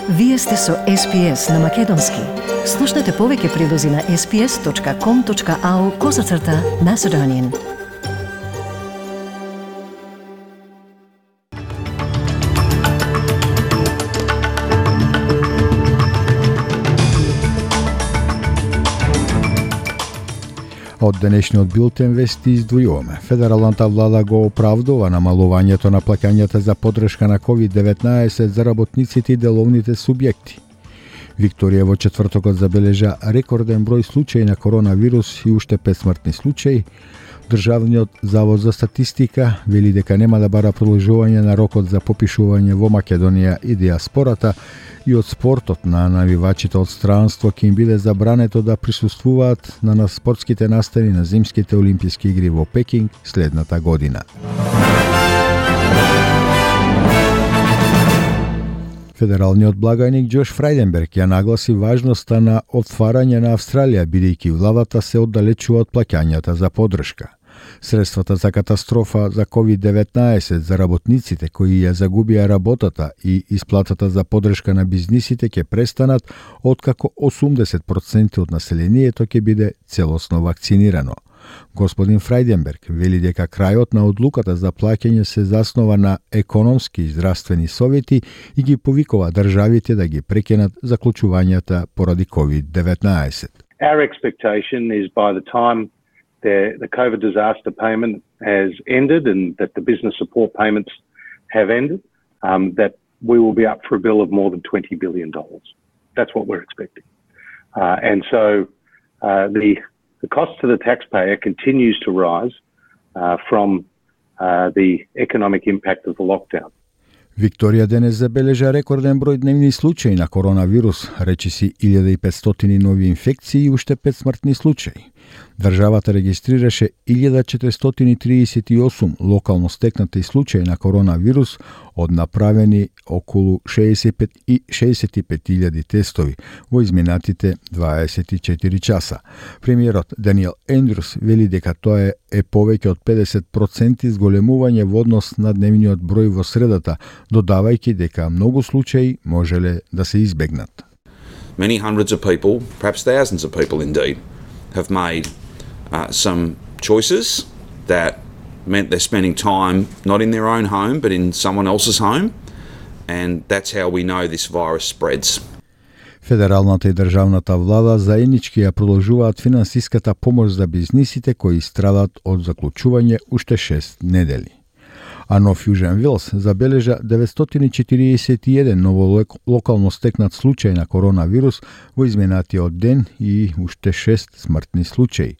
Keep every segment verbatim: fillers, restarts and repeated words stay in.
Вие сте со Ес Би Ес на Македонски. Слушнете повеќе прилози на ес би ес точка ком точка ау козацрта Macedonian. Од денешниот билтен вести издвојуваме. Федералната влада го оправдува намалувањето на плаќањата за поддршка на ковид деветнаесет за работниците и деловните субјекти. Викторија во четвртокот забележа рекорден број случаи на коронавирус и уште пет смртни случаи. Државниот завод за статистика вели дека нема да бара продолжување на рокот за попишување во Македонија и диаспората, и од спортот на навивачите од странство ќе им биде забрането да присуствуваат на спортските настани на зимските олимписки игри во Пекинг следната година. Федералниот благајник Џош Фрајденберг ја нагласи важноста на отварање на Австралија, бидејќи владата се оддалечува од плаќањата за поддршка. Средствата за катастрофа за ковид деветнаесет за работниците кои ја загубија работата и исплатата за поддршка на бизнисите ќе престанат откако осумдесет проценти од населението ќе биде целосно вакцинирано. Господин Фрајденберг вели дека крајот на одлуката за плаќање се заснова на економски и здравствени совети и ги повикува државите да ги прекинат заклучувањата поради ковид деветнаесет. Our expectation is by the time the, the COVID disaster payment has ended and that the business support payments have ended, um, that we will be up for a bill of more than twenty billion dollars. That's what we're expecting. Uh, and so uh, the The cost to the taxpayer continues to rise uh, from uh, the economic impact of the lockdown. Викторија денес забележа рекорден број дневни случаи на коронавирус, речиси илјада и петстотини нови инфекции и уште пет смртни случаи. Државата регистрираше илјада четиристотини триесет и осум локално стекнати случаи на коронавирус од направени околу шеесет и пет илјади тестови во изминатите дваесет и четири часа. Премиерот Даниел Ендрус вели дека тоа е, е повеќе од педесет проценти зголемување во однос на дневниот број во средата, додавајќи дека многу случаи можеле да се избегнат. Many hundreds of people, perhaps thousands of people indeed, have made uh, some choices that meant they're spending time not in their own home but in someone else's home, and that's how we know this virus spreads. Федералната и државната влада заеднички ја продолжуваат финансиската помош за бизнисите кои страдат од заклучување уште шест недели. А Нов Јужен Велс забележа деветстотини четириесет и еден ново локално стекнат случај на коронавирус во изминатиот ден и уште шест смртни случаи.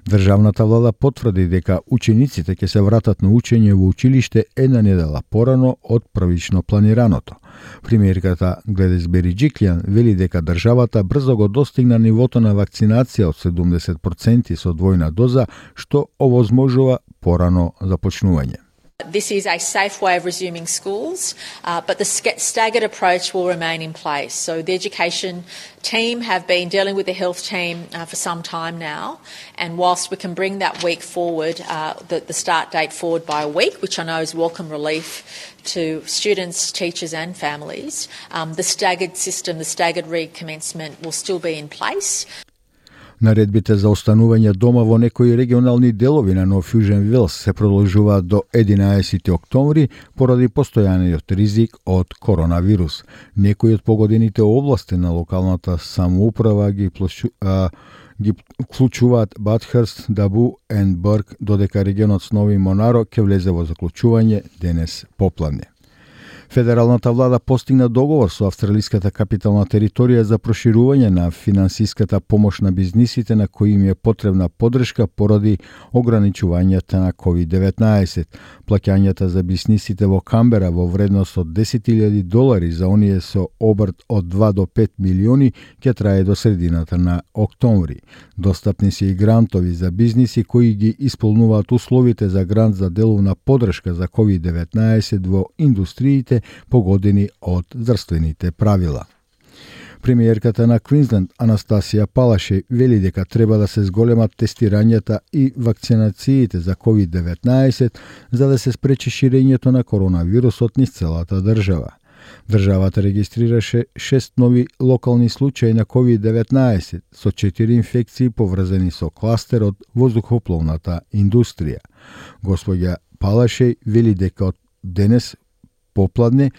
Државната влада потврди дека учениците ќе се вратат на учење во училиште една недела порано од првично планираното. Премиерката Гледис Бериџиклјан вели дека државата брзо го достигна нивото на вакцинација од седумдесет проценти со двојна доза, што овозможува порано започнување. This is a safe way of resuming schools, uh, but the staggered approach will remain in place. So the education team have been dealing with the health team uh, for some time now, and whilst we can bring that week forward, uh, the, the start date forward by a week, which I know is welcome relief to students, teachers and families, um, the staggered system, the staggered recommencement will still be in place. Наредбите за останување дома во некои регионални делови на Нов Јужен Велс се продолжуваат до единаесети октомври поради постојаниот ризик од коронавирус. Некои од погодените области на локалната самоуправа ги, площу, а, ги вклучуваат Батхерст, Дабу и Бърк, додека регионот с Нови Монаро ќе влезе во заклучување денес попладне. Федералната влада постигна договор со австралиската капитална територија за проширување на финансиската помош на бизнисите на кои им е потребна поддршка поради ограничувањата на ковид деветнаесет. Плаќањата за бизнисите во Камбера во вредност од десет илјади долари за оние со обрт од два до пет милиони ќе трае до средината на октомври. Достапни се и грантови за бизниси кои ги исполнуваат условите за грант за деловна поддршка за ковид деветнаесет во индустриите погодени од здравствените правила. Премиерката на Квинсленд Анастасија Палаше вели дека треба да се зголемат тестирањата и вакцинациите за ковид деветнаесет за да се спречи ширењето на коронавирусот низ целата држава. Државата регистрираше шест нови локални случаи на ковид деветнаесет со четири инфекции поврзани со кластер од воздухопловната индустрија. Господја Палашеј вели дека од денес попладне,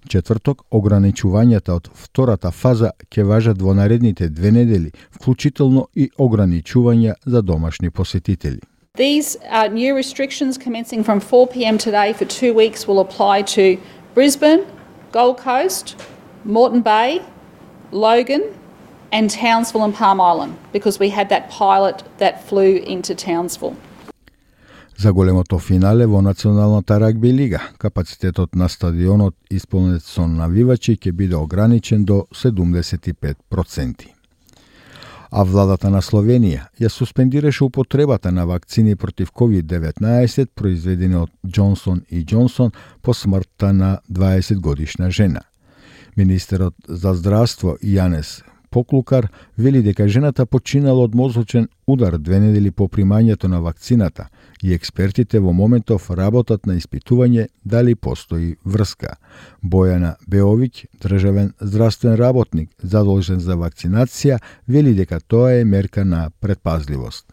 четврток, ограничувањата од втората фаза ќе важат во наредните две недели, вклучително и ограничувања за домашни посетители. These uh, new restrictions commencing from four p m today for two weeks will apply to Brisbane, Gold Coast, Moreton Bay, Logan and Townsville and Palm Island because we had that pilot that flew into Townsville. За големото финале во Националната рагби лига, капацитетот на стадионот исполнет со навивачи ќе биде ограничен до седумдесет и пет проценти. А владата на Словенија ја суспендираше употребата на вакцини против ковид деветнаесет произведени од Джонсон и Джонсон по смртта на дваесет годишна жена. Министерот за здравство Јанес Поклукар вели дека жената починала од мозочен удар две недели по примањето на вакцината и експертите во моментов работат на испитување дали постои врска. Бојана Беовиќ, државен здравствен работник задолжен за вакцинација, вели дека тоа е мерка на предпазливост.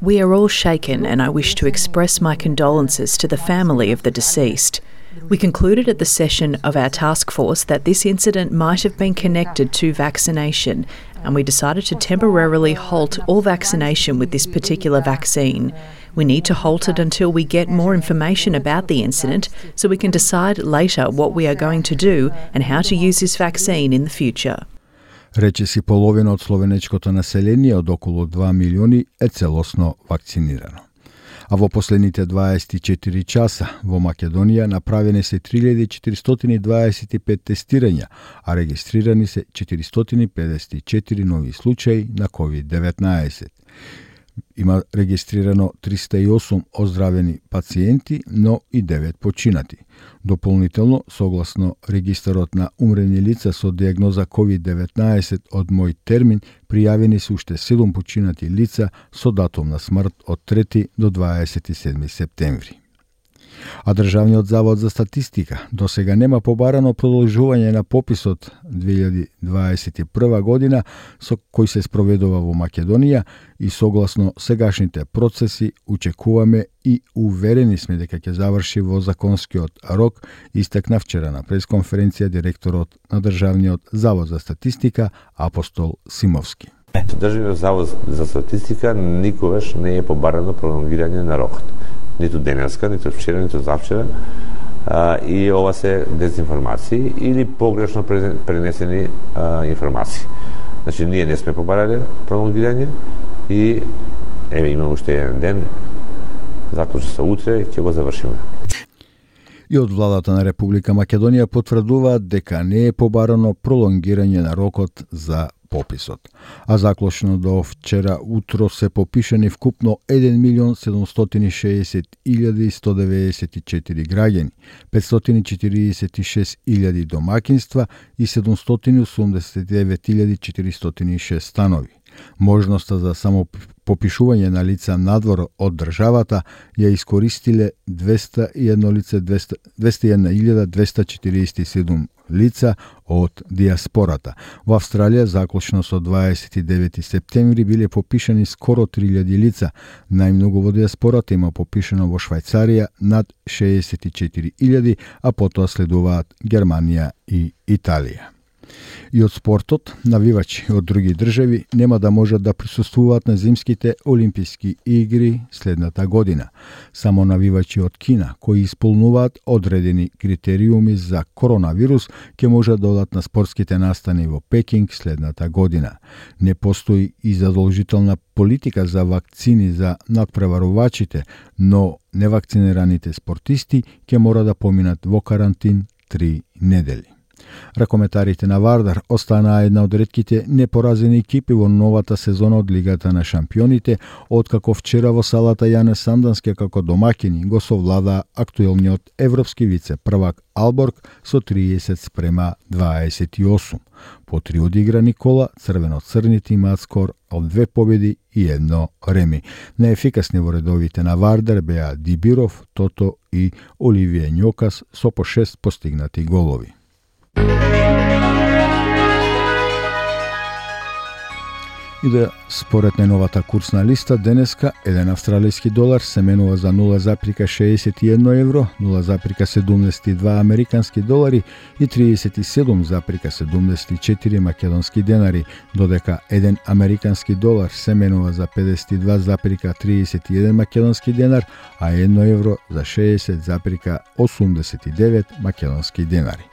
We are all shaken and I wish to express my condolences to the family of the deceased. We concluded at the session of our task force that this incident might have been connected to vaccination, and we decided to temporarily halt all vaccination with this particular vaccine. We need to halt it until we get more information about the incident so we can decide later what we are going to do and how to use this vaccine in the future. Речиси половина од словенечкото население од околу два милиони е целосно вакцинирано. А во последните дваесет и четири часа во Македонија направени се три илјади четиристотини дваесет и пет тестирања, а регистрирани се четиристотини педесет и четири нови случаи на ковид деветнаесет. Има регистрирано триста и осум оздравени пациенти, но и девет починати. Дополнително, согласно регистарот на умрени лица со диагноза ковид деветнаесет од мој термин, пријавени се уште седум починати лица со датум на смрт од трети до дваесет и седми септември. А Државниот завод за статистика досега нема побарано продолжување на пописот две илјади дваесет и прва година со кој се спроведува во Македонија и согласно сегашните процеси очекуваме и уверени сме дека ќе заврши во законскиот рок, истакна вчера на пресконференција директорот на Државниот завод за статистика Апостол Симовски. Државниот завод за статистика никогаш не е побарано пролонгирање на рокот. Ниту денеска, ниту вчера, ниту завчера. А, и ова се дезинформации или погрешно пренесени а, информации. Значи, ние не сме побарале пролонгирање и еве имаме уште еден ден, заклучи се утре, ќе го завршиме. И од владата на Република Македонија потврдуваат дека не е побарано пролонгирање на рокот за пописот. А заклучно до вчера утро се попишани вкупно еден милион седумстотини шеесет илјади сто деветдесет и четири граѓани, петстотини четиридесет и шест илјади домакинства и седумстотини осумдесет и девет илјади четиристотини и шест станови. Можноста за само попишување на лица надвор од државата ја искористиле двеста и едно лице двеста и една илјада двеста четириесет и седум лица од диаспората. Во Австралија заклучно со дваесет и девети септември биле попишани скоро три илјади лица. Најмногу во диаспората има попишано во Швајцарија над шеесет и четири илјади, а потоа следуваат Германија и Италија. И од спортот, навивачи од други држави нема да можат да присуствуваат на зимските олимписки игри следната година. Само навивачи од Кина, кои исполнуваат одредени критериуми за коронавирус, ќе можат да одат на спортските настани во Пекинг следната година. Не постои и задолжителна политика за вакцини за надпреварувачите, но невакцинираните спортисти ќе мора да поминат во карантин три недели. Ракометарите на Вардар останаа една од ретките непоразени екипи во новата сезона од Лигата на шампионите, откако вчера во салата Јане Сандански како домаќини го совлада актуелниот европски вице-првак Алборг со триесет спрема дваесет и осум. По три одиграни кола, црвено-црните имаат скор од две победи и едно реми. Неефикасни во редовите на Вардар беа Дибиров, Тото и Оливије Њокас со по шест постигнати голови. И да според најновата курсна листа, денеска еден австралиски долар се менува за нула запирка шеесет и едно евро, нула запирка седумдесет и два американски долари и триесет и седум запирка седумдесет и четири македонски денари, додека еден американски долар се менува за педесет и два запирка триесет и еден македонски денар, а едно евро за шеесет запирка осумдесет и девет македонски денари.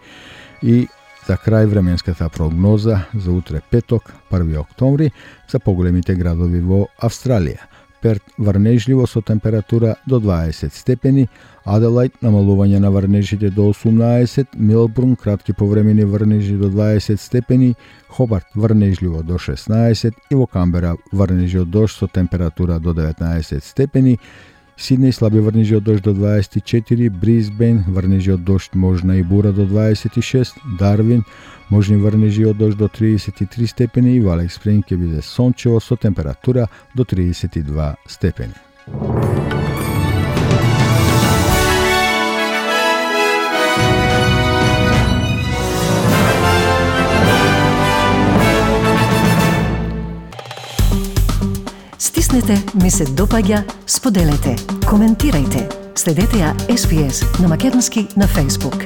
И за крај временската прогноза за утре петок, први октомври, за поголемите градови во Австралија. Перт врнежливо со температура до дваесет степени, Аделајд намалување на врнежите до осумнаесет, Мелбурн кратки повремени врнежи до дваесет степени, Хобарт врнежливо до шеснаесет и во Камбера врнежи од дожд со температура до деветнаесет степени, Сиднеј слаби врнежи од дожд до дваесет и четири, Брисбен врнежи од дожд можна и бура до дваесет и шест, Дарвин можни врнежи од дожд до триесет и три степени и во Алекс Спринг ќе биде сончево со температура до триесет и два степени. Стиснете, ми се допаѓа, споделете, коментирајте. Следете ја Ес Би Ес на македонски на Facebook.